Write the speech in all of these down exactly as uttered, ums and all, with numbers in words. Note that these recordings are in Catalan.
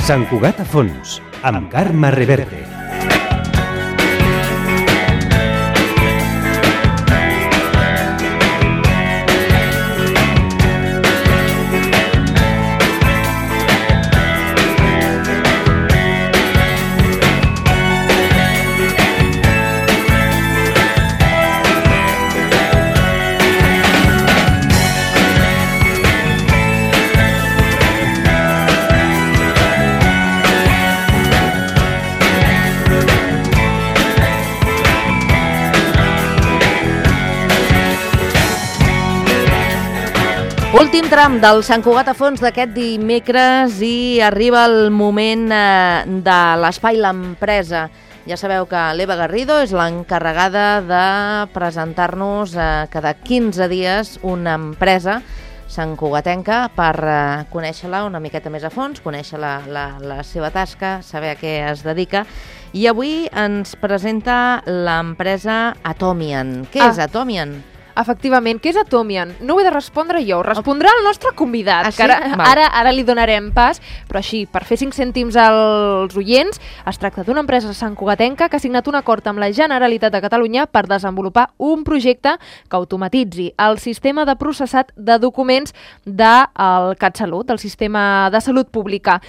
Sant Cugat a fons, amb Carme Reverte. Últim tram del Sant Cugat a fons d'aquest dimecres i arriba el moment eh, de l'espai L'Empresa. Ja sabeu que l'Eva Garrido és l'encarregada de presentar-nos eh, cada quinze dies una empresa santcugatenca per eh, conèixer-la una miqueta més a fons, conèixer la, la, la seva tasca, saber a què es dedica. I avui ens presenta l'empresa Atomian. Què ah. és Atomian? Efectivament, què és Atomian? No ho he de respondre jo, ho respondrà el nostre convidat, ah, sí? que ara, ara, ara li donarem pas, però així, per fer cinc cèntims als oients, es tracta d'una empresa santcugatenca que ha signat un acord amb la Generalitat de Catalunya per desenvolupar un projecte que automatitzi el sistema de processat de documents del CatSalut, del sistema de salut pública.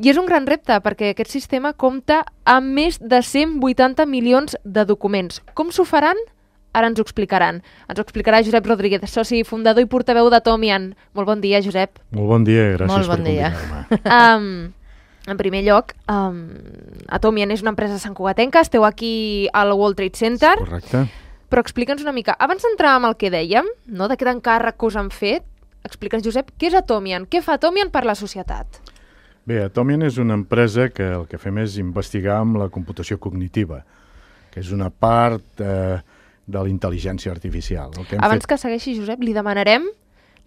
I és un gran repte perquè aquest sistema compta amb més de cent vuitanta milions de documents. Com s'ho faran? Ara ens ho explicaran. Ens ho explicarà Josep Rodríguez, soci fundador i portaveu d'Atomian. Molt bon dia, Josep. Molt bon dia, gràcies Molt bon per dia. convidar-me. Um, en primer lloc, um, Atomian és una empresa santcugatenca, esteu aquí al World Trade Center. Correcte. Però explica'ns una mica, abans d'entrar amb el que dèiem, no, d'aquest encàrrec que us han fet, explica'ns, Josep, què és Atomian? Què fa Atomian per la societat? Bé, Atomian és una empresa que el que fem és investigar amb la computació cognitiva, que és una part eh, de la intel·ligència artificial. El que hem Abans fet... que segueixi, Josep, li demanarem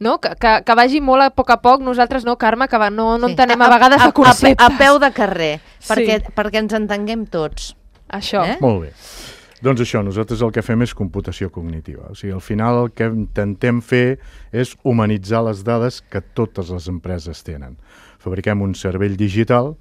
no? que, que, que vagi molt a poc a poc. Nosaltres no, Carme, que va, no, no Sí. entenem a, a vegades a, de conceptes. A, a peu de carrer, Sí. perquè, perquè ens entenguem tots. Això. Eh? Molt bé. Doncs això, nosaltres el que fem és computació cognitiva. O sigui, al final el que intentem fer és humanitzar les dades que totes les empreses tenen. Fabriquem un cervell digital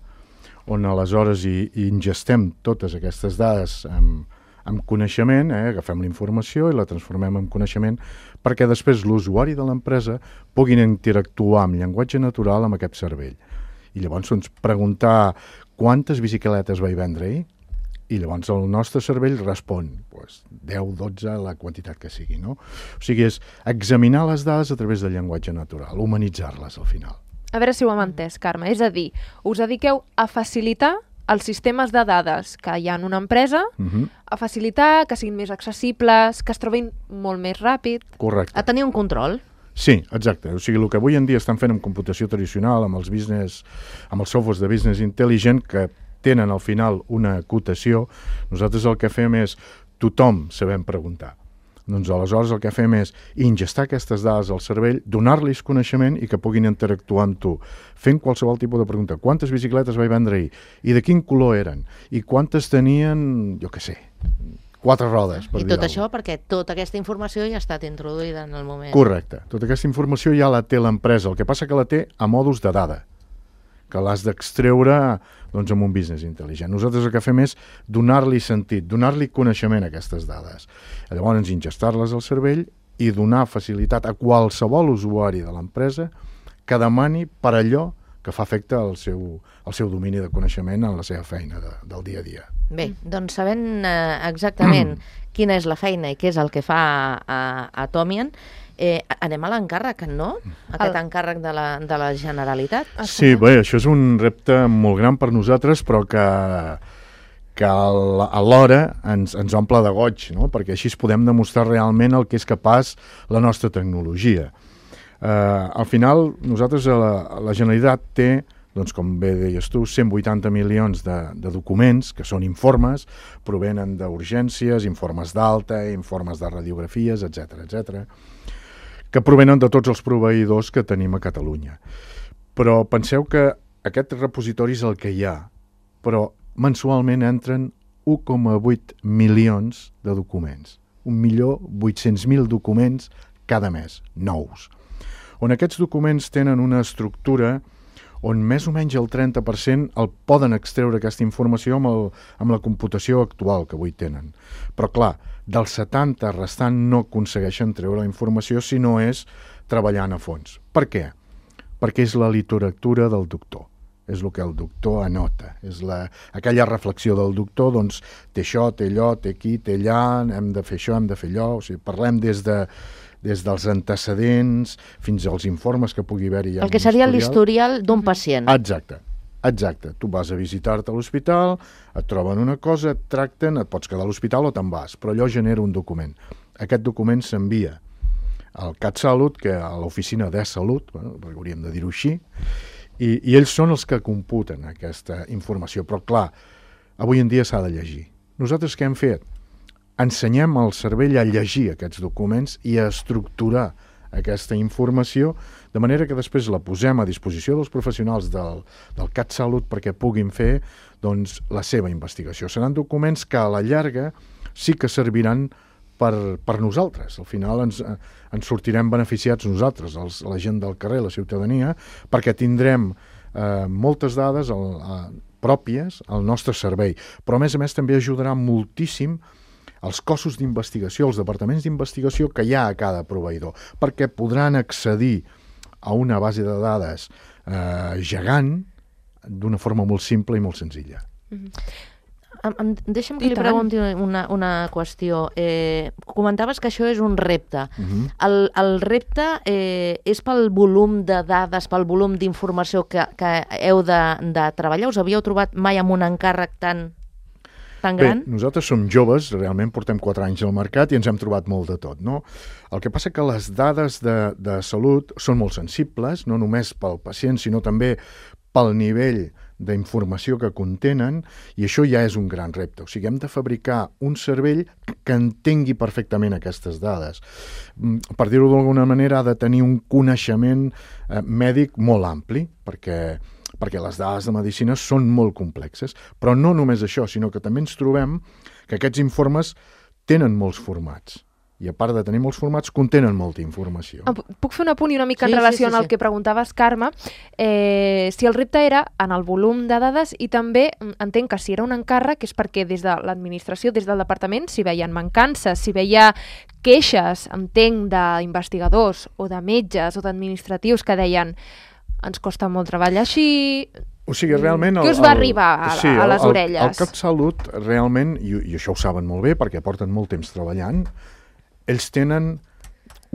on aleshores hi, hi ingestem totes aquestes dades amb, amb coneixement, eh? agafem la informació i la transformem en coneixement perquè després l'usuari de l'empresa puguin interactuar amb llenguatge natural amb aquest cervell. I llavors doncs, preguntar quantes bicicletes vaig vendre ahir? I llavors el nostre cervell respon pues, deu, dotze, la quantitat que sigui. No? O sigui, és examinar les dades a través del llenguatge natural, humanitzar-les al final. A veure si ho hem entès, Carme. És a dir, us dediqueu a facilitar els sistemes de dades que hi ha en una empresa, Uh-huh. a facilitar que siguin més accessibles, que es trobin molt més ràpid. Correcte. A tenir un control. Sí, exacte. O sigui, el que avui en dia estan fent amb computació tradicional, amb els business, amb els softwares de business intelligent, que tenen al final una acotació, nosaltres el que fem és tothom sabem preguntar. Doncs aleshores el que fem és ingestar aquestes dades al cervell, donar-los coneixement i que puguin interactuar amb tu, fent qualsevol tipus de pregunta. Quantes bicicletes vaig vendre ahir? I de quin color eren? I quantes tenien, jo què sé, quatre rodes, per I dir tot alguna això perquè tota aquesta informació ja ha estat introduïda en el moment. Correcte. Tota aquesta informació ja la té l'empresa, el que passa que la té a mòduls de dada, que l'has d'extreure doncs, amb un business intel·ligent. Nosaltres el que fem és donar-li sentit, donar-li coneixement a aquestes dades. Llavors, ingestar-les al cervell i donar facilitat a qualsevol usuari de l'empresa que demani per allò que fa efecte al seu, al seu domini de coneixement en la seva feina de, del dia a dia. Bé, doncs sabent eh, exactament quina és la feina i què és el que fa a, a Atomian, eh, anem a l'encàrrec, no? Aquest El... encàrrec de la, de la Generalitat. Sí, bé, això és un repte molt gran per nosaltres, però que, que alhora ens, ens omple de goig, no? Perquè així podem demostrar realment el que és capaç la nostra tecnologia. Eh, al final, nosaltres, la, la Generalitat té, doncs, com bé deies tu, cent vuitanta milions de, de documents, que són informes, provenen d'urgències, informes d'alta, informes de radiografies, etcètera, etcètera, que provenen de tots els proveïdors que tenim a Catalunya. Però penseu que aquest repositori és el que hi ha, però mensualment entren u coma vuit milions de documents. un milió vuit-cents mil documents cada mes, nous. On aquests documents tenen una estructura on més o menys el trenta per cent el poden extreure aquesta informació amb, el, amb la computació actual que avui tenen. Però clar, del setanta restant no aconsegueixen treure la informació si no és treballant a fons. Per què? Perquè és la literatura del doctor. És el que el doctor anota. És la, aquella reflexió del doctor, doncs, té això, té allò, té aquí, té allà, hem de fer això, hem de fer allò. O sigui, parlem des de des dels antecedents fins als informes que pugui haver-hi. El que seria l'historial d'un pacient. Exacte, exacte. Tu vas a visitar-te a l'hospital, et troben una cosa, et tracten, et pots quedar a l'hospital o te'n vas, però allò genera un document. Aquest document s'envia al CatSalut, que a l'oficina de Salut, bueno, hauríem de dir-ho així, i, i ells són els que computen aquesta informació. Però clar, avui en dia s'ha de llegir. Nosaltres què hem fet? Ensenyem al cervell a llegir aquests documents i a estructurar aquesta informació, de manera que després la posem a disposició dels professionals del, del CatSalut perquè puguin fer doncs, la seva investigació. Seran documents que a la llarga sí que serviran per, per nosaltres. Al final ens, ens sortirem beneficiats nosaltres, els, la gent del carrer, la ciutadania, perquè tindrem eh, moltes dades el, eh, pròpies al nostre servei. Però a més a més també ajudarà moltíssim els cossos d'investigació, els departaments d'investigació que hi ha a cada proveïdor, perquè podran accedir a una base de dades eh, gegant d'una forma molt simple i molt senzilla. Mm-hmm. Em, deixa'm que li pregunti una, una qüestió. Eh, comentaves que això és un repte. Uh-huh. El, el repte eh, és pel volum de dades, pel volum d'informació que, que heu de, de treballar? Us havíeu trobat mai amb un encàrrec tan, tan gran? Bé, nosaltres som joves, realment portem quatre anys al mercat i ens hem trobat molt de tot, no? El que passa que les dades de, de salut són molt sensibles, no només pel pacient, sinó també pel nivell d'informació que contenen, i això ja és un gran repte. O sigui, hem de fabricar un cervell que entengui perfectament aquestes dades. Per dir-ho d'alguna manera, ha de tenir un coneixement eh, mèdic molt ampli, perquè, perquè les dades de medicina són molt complexes. Però no només això, sinó que també ens trobem que aquests informes tenen molts formats. I a part de tenir molts formats, contenen molta informació. Puc fer un apunt i una mica sí, en relació sí, sí, amb el sí. que preguntaves, Carme? Eh, si el repte era en el volum de dades i també entenc que si era un encàrrec és perquè des de l'administració, des del departament, si veien mancances, si veia queixes, entenc, d'investigadors o de metges o d'administratius que deien ens costa molt treballar així... O sigui, realment... Què us va arribar a, sí, a les el, orelles? El, el CatSalut, realment, i, i això ho saben molt bé perquè porten molt temps treballant, ells tenen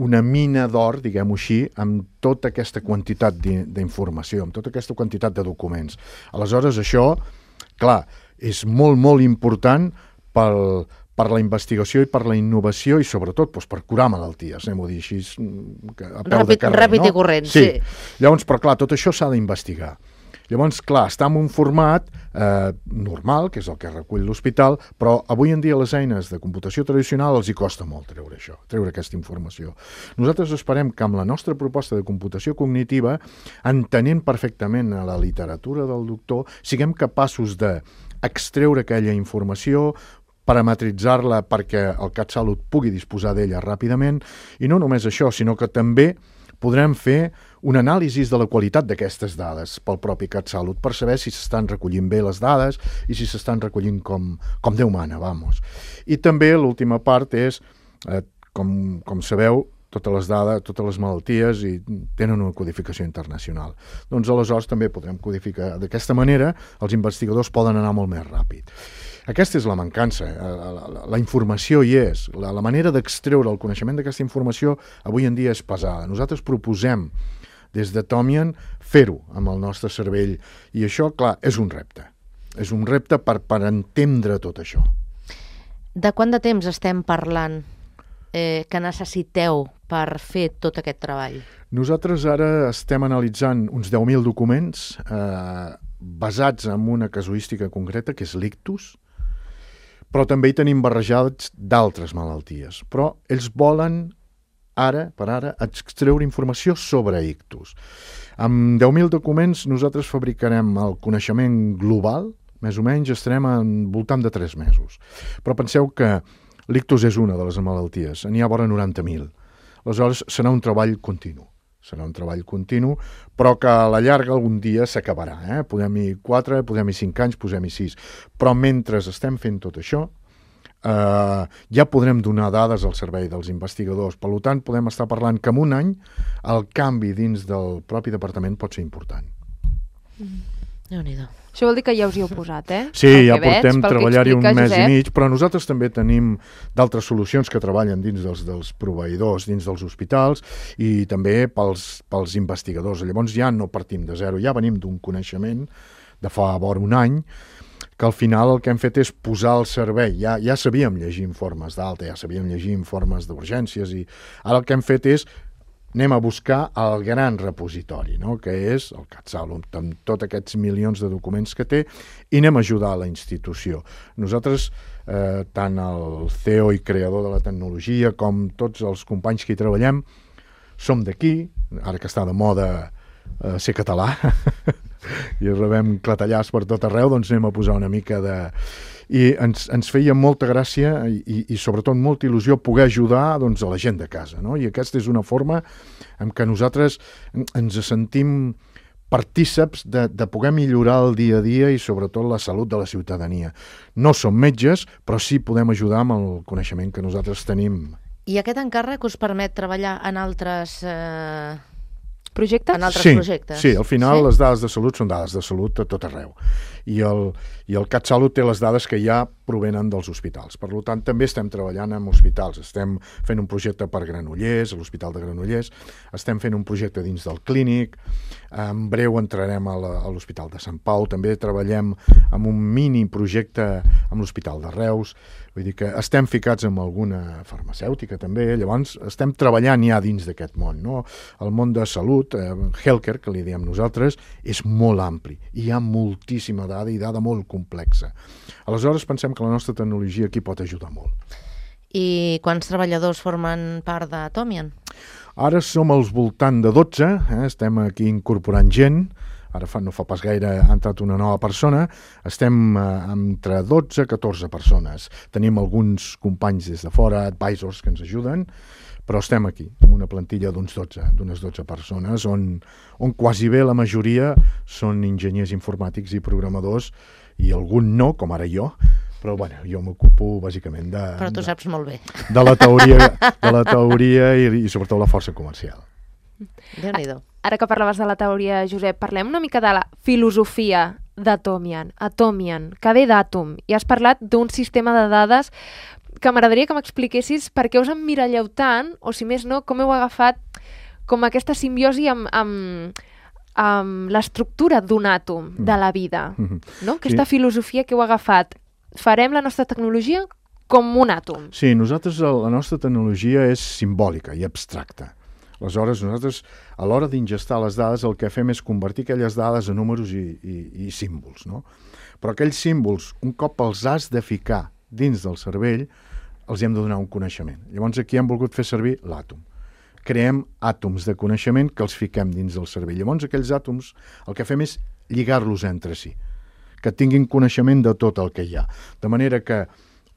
una mina d'or, diguem-ho així, amb tota aquesta quantitat d'informació, amb tota aquesta quantitat de documents. Aleshores, això, clar, és molt, molt important pel, per la investigació i per la innovació i, sobretot, doncs, per curar malalties, anem-ho a dir així, a peu ràpid, de carrer. Ràpid no? i corrent, sí. sí. Llavors, però clar, tot això s'ha d'investigar. Llavors, clar, està en un format eh, normal, que és el que recull l'hospital, però avui en dia les eines de computació tradicional els hi costa molt treure això, treure aquesta informació. Nosaltres esperem que amb la nostra proposta de computació cognitiva, entenent perfectament la literatura del doctor, siguem capaços d'extreure aquella informació, parametritzar-la perquè el CatSalut pugui disposar d'ella ràpidament, i no només això, sinó que també podrem fer un anàlisi de la qualitat d'aquestes dades pel propi CatSalut per saber si s'estan recollint bé les dades i si s'estan recollint com, com Déu mana, vamos. I també l'última part és, eh, com, com sabeu, totes les dades, totes les malalties i tenen una codificació internacional. Doncs aleshores també podrem codificar. D'aquesta manera els investigadors poden anar molt més ràpid. Aquesta és la mancança, la, la, la informació hi és, la, la manera d'extreure el coneixement d'aquesta informació avui en dia és pesada. Nosaltres proposem des de Tomian fer-ho amb el nostre cervell i això, clar, és un repte. És un repte per, per entendre tot això. De quant de temps estem parlant eh, que necessiteu per fer tot aquest treball? Nosaltres ara estem analitzant uns deu mil documents eh, basats en una casuística concreta, que és l'ictus, però també hi tenim barrejats d'altres malalties. Però ells volen, ara per ara, extreure informació sobre ictus. Amb deu mil documents nosaltres fabricarem el coneixement global, més o menys estarem en voltant de tres mesos. Però penseu que l'ictus és una de les malalties, n'hi ha vora noranta mil. Aleshores, serà un treball continu. serà un treball continu, però que a la llarga algun dia s'acabarà. Eh? Podem-hi quatre, podem-hi cinc anys, posem-hi sis. Però mentre estem fent tot això, Uh, ja podrem donar dades al servei dels investigadors. Per tant, podem estar parlant que en un any el canvi dins del propi departament pot ser important. Mm. Déu-n'hi-do. Això vol dir que ja us hi heu posat, eh? Sí, Pel ja que veig, portem pel que treballar-hi un explica mes Josep. i mig, però nosaltres també tenim d'altres solucions que treballen dins dels, dels proveïdors, dins dels hospitals i també pels, pels investigadors. Llavors ja no partim de zero, ja venim d'un coneixement de fa vora un any que al final el que hem fet és posar al servei. Ja, ja sabíem llegir informes d'alta, ja sabíem llegir informes d'urgències i ara el que hem fet és anem a buscar el gran repositori, no? Que és el CatSalut, amb tots aquests milions de documents que té, i anem a ajudar a la institució. Nosaltres, eh, tant el C E O i creador de la tecnologia com tots els companys que hi treballem, som d'aquí, ara que està de moda eh, ser català, i rebem clatellars per tot arreu, doncs anem a posar una mica de... I ens, ens feia molta gràcia i, i sobretot molta il·lusió poder ajudar doncs, a la gent de casa, no? I aquesta és una forma en què nosaltres ens sentim partíceps de, de poder millorar el dia a dia i sobretot la salut de la ciutadania. No som metges, però sí podem ajudar amb el coneixement que nosaltres tenim. I aquest encàrrec us permet treballar en altres... Eh... projectes? En altres sí, projectes. Sí, al final sí? les dades de salut són dades de salut a tot arreu. I el, i el CatSalut té les dades que ja provenen dels hospitals. Per tant, també estem treballant amb hospitals. Estem fent un projecte per Granollers, a l'Hospital de Granollers, estem fent un projecte dins del Clínic, en breu entrarem a l'Hospital de Sant Pau, també treballem amb un mini projecte amb l'Hospital de Reus, vull dir que estem ficats amb alguna farmacèutica també, llavors estem treballant ja dins d'aquest món, no? El món de salut, eh, healthcare, que li diem nosaltres, és molt ampli, i hi ha moltíssima dada i dada molt complexa. Aleshores pensem que la nostra tecnologia aquí pot ajudar molt. I quants treballadors formen part d'Atomian? Ara som al voltant de dotze, eh? Estem aquí incorporant gent, ara fa, no fa pas gaire ha entrat una nova persona, estem eh, entre dotze a catorze persones. Tenim alguns companys des de fora, advisors que ens ajuden, però estem aquí, amb una plantilla d'uns dotze, d'unes dotze persones, on, on quasi bé la majoria són enginyers informàtics i programadors, i algun no, com ara jo, però bueno, jo m'ocupo bàsicament de... Però tu saps molt bé. De la teoria, de la teoria i, i sobretot la força comercial. Déu-n'hi-do. Ara que parlaves de la teoria, Josep, parlem una mica de la filosofia d'Atomian, Atomian, que ve d'Atom, i has parlat d'un sistema de dades que m'agradaria que m'expliquessis per què us emmiralleu tant, o si més no, com heu agafat com aquesta simbiosi amb, amb, amb l'estructura d'un àtom de la vida, no? Aquesta Sí. filosofia que heu agafat. Farem la nostra tecnologia com un àtom. Sí, nosaltres, la nostra tecnologia és simbòlica i abstracta. Aleshores, nosaltres, a l'hora d'ingestar les dades, el que fem és convertir aquelles dades en números i, i, i símbols, no? Però aquells símbols, un cop els has de ficar dins del cervell, els hem de donar un coneixement. Llavors aquí hem volgut fer servir l'àtom. Creem àtoms de coneixement que els fiquem dins del cervell. Llavors aquells àtoms el que fem és lligar-los entre si, que tinguin coneixement de tot el que hi ha. De manera que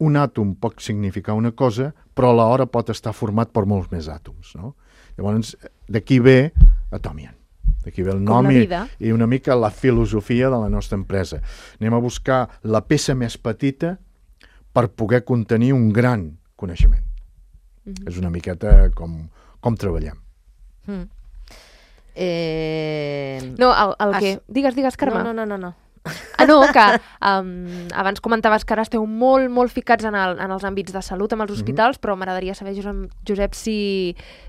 un àtom pot significar una cosa, però alhora pot estar format per molts més àtoms, no? Llavors, d'aquí ve Atomian. D'aquí ve el nom i, i una mica la filosofia de la nostra empresa. Anem a buscar la peça més petita per poder contenir un gran coneixement. Mm-hmm. És una miqueta com, com treballem. Mm. Eh... No, el, el Has... que... Digues, digues, Carme. No, no, no, no. Ah, no, que um, abans comentaves que ara esteu molt, molt ficats en, el, en els àmbits de salut, amb els hospitals, mm-hmm. però m'agradaria saber, Josep, Josep si,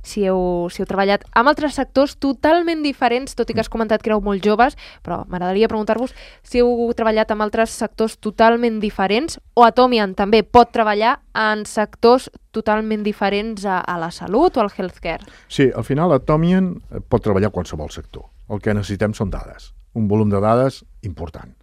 si, heu, si heu treballat amb altres sectors totalment diferents, tot i que has comentat que éreu molt joves, però m'agradaria preguntar-vos si heu treballat amb altres sectors totalment diferents, o Atomian també pot treballar en sectors totalment diferents a, a la salut o al healthcare. Sí, al final Atomian pot treballar a qualsevol sector. El que necessitem són dades. Un volum de dades important,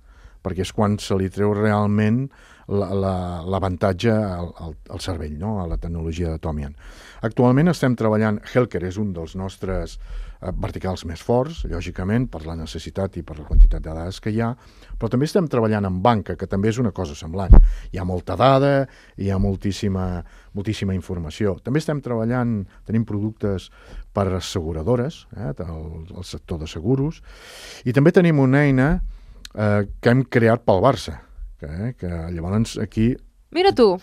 perquè és quan se li treu realment l'avantatge al, al, al cervell, no? A la tecnologia d'Atomian. Actualment estem treballant, Helker és un dels nostres eh, verticals més forts, lògicament, per la necessitat i per la quantitat de dades que hi ha, però també estem treballant en banca, que també és una cosa semblant. Hi ha molta dada, hi ha moltíssima, moltíssima informació. També estem treballant, tenim productes per asseguradores, eh, el, el sector de seguros, i també tenim una eina eh, que hem creat pel Barça, que, eh, que llavors aquí Mira tu.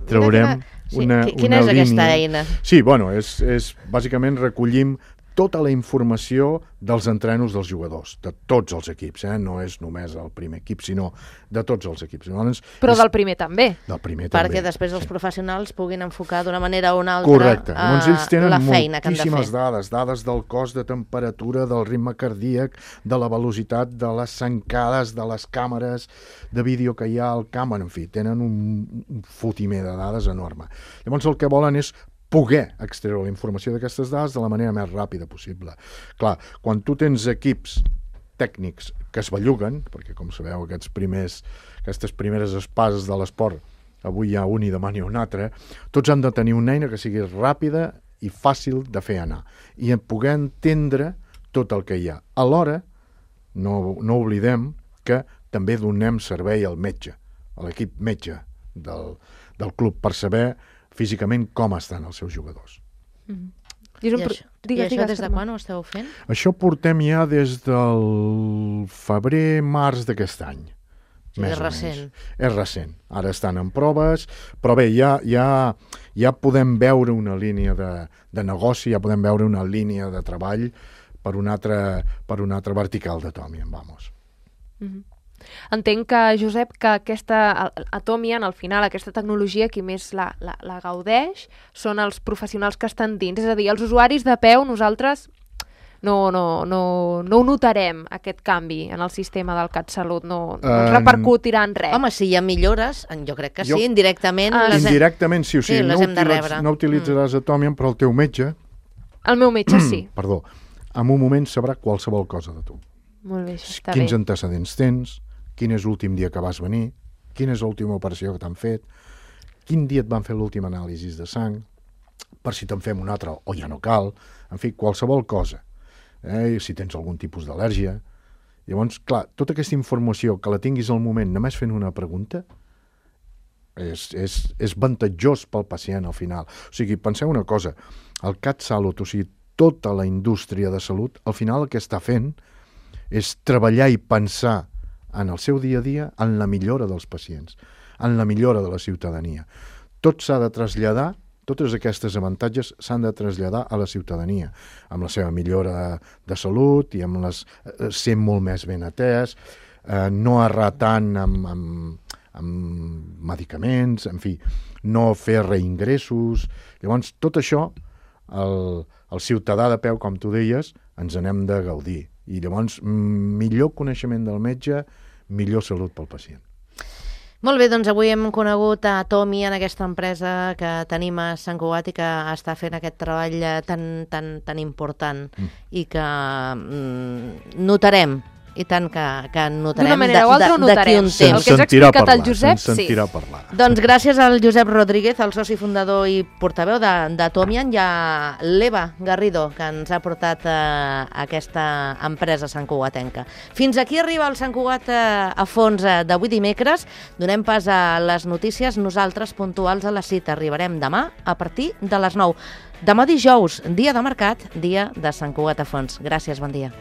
traurem sí, una, quina una és línia. aquesta eina? Sí, bueno, és, és, bàsicament recollim tota la informació dels entrenos dels jugadors, de tots els equips, eh? No és només el primer equip, sinó de tots els equips. Llavors, Però és, del primer també. Del primer Perquè també. després els professionals puguin enfocar d'una manera o una altra Correcte. Llavors ells tenen la feina que han de moltíssimes fer. dades, dades del cos, de temperatura, del ritme cardíac, de la velocitat, de les sancades, de les càmeres de vídeo que hi ha al camp, en fi, tenen un, un fotimer de dades enorme. Llavors el que volen és poder extreure la informació d'aquestes dades de la manera més ràpida possible. Clar, quan tu tens equips tècnics que es belluguen, perquè com sabeu aquests primers, aquestes primeres espases de l'esport, avui hi ha un i demà n'hi ha un altre, tots han de tenir una eina que sigui ràpida i fàcil de fer anar, i poder entendre tot el que hi ha. Alhora, no, no oblidem que també donem servei al metge, a l'equip metge del, del club, per saber físicament com estan els seus jugadors. Mm-hmm. I un... això, digues, i això digues, des de quan ho esteu fent? Això portem ja des del febrer-març d'aquest any. Sí, és recent. És recent. Ara estan en proves, però bé, ja, ja, ja podem veure una línia de, de negoci, ja podem veure una línia de treball per un altre, per un altre vertical d'Atomian, vamos. Mm-hmm. Entenc que, Josep, que aquesta Atomian, al final, aquesta tecnologia, qui més la, la, la gaudeix són els professionals que estan dins. És a dir, els usuaris de peu, nosaltres no, no, no, no ho notarem, aquest canvi en el sistema del CatSalut. No, no ens repercutirà en res. Home, si hi ha millores, jo crec que sí, jo, indirectament. Ah, les indirectament, sí, o sigui, sí, no, hem de utilitzaràs, no utilitzaràs mm. Atomian, però el teu metge... El meu metge, sí. Perdó. En un moment sabrà qualsevol cosa de tu. Molt bé, això està Quins bé. antecedents tens, quin és l'últim dia que vas venir, quina és l'última operació que t'han fet, quin dia et van fer l'últim anàlisi de sang, per si te'n fem un altre o ja no cal, en fi, qualsevol cosa. Eh? Si tens algun tipus d'al·lèrgia. Llavors, clar, tota aquesta informació que la tinguis al moment només fent una pregunta és, és, és avantatjós pel pacient al final. O sigui, penseu una cosa, el CatSalut, o sigui, tota la indústria de salut, al final el que està fent és treballar i pensar en el seu dia a dia en la millora dels pacients, en la millora de la ciutadania. Tot s'ha de traslladar, totes aquestes avantatges s'han de traslladar a la ciutadania, amb la seva millora de, de salut i amb les, eh, ser molt més ben atès, eh, no errar tant amb, amb, amb medicaments, en fi, no fer reingressos. Llavors, tot això, el, el ciutadà de peu, com tu deies, ens n'hem de gaudir. I llavors, millor coneixement del metge, millor salut pel pacient. Molt bé, doncs avui hem conegut a Atomian, aquesta empresa que tenim a Sant Cugat i que està fent aquest treball tan, tan, tan important mm. i que mm, notarem, i tant que, que notarem d'una manera o altra ho notarem. Un temps. El que ens ha explicat el Josep, sí. sentirà parlar. Doncs gràcies al Josep Rodríguez, el soci fundador i portaveu d'Atomian, i a l'Eva Garrido, que ens ha portat eh, aquesta empresa santcugatenca. Fins aquí arriba el Sant Cugat eh, a fons eh, d'avui dimecres. Donem pas a les notícies, nosaltres puntuals a la cita. Arribarem demà a partir de les nou. Demà dijous, dia de mercat, dia de Sant Cugat a fons. Gràcies, bon dia.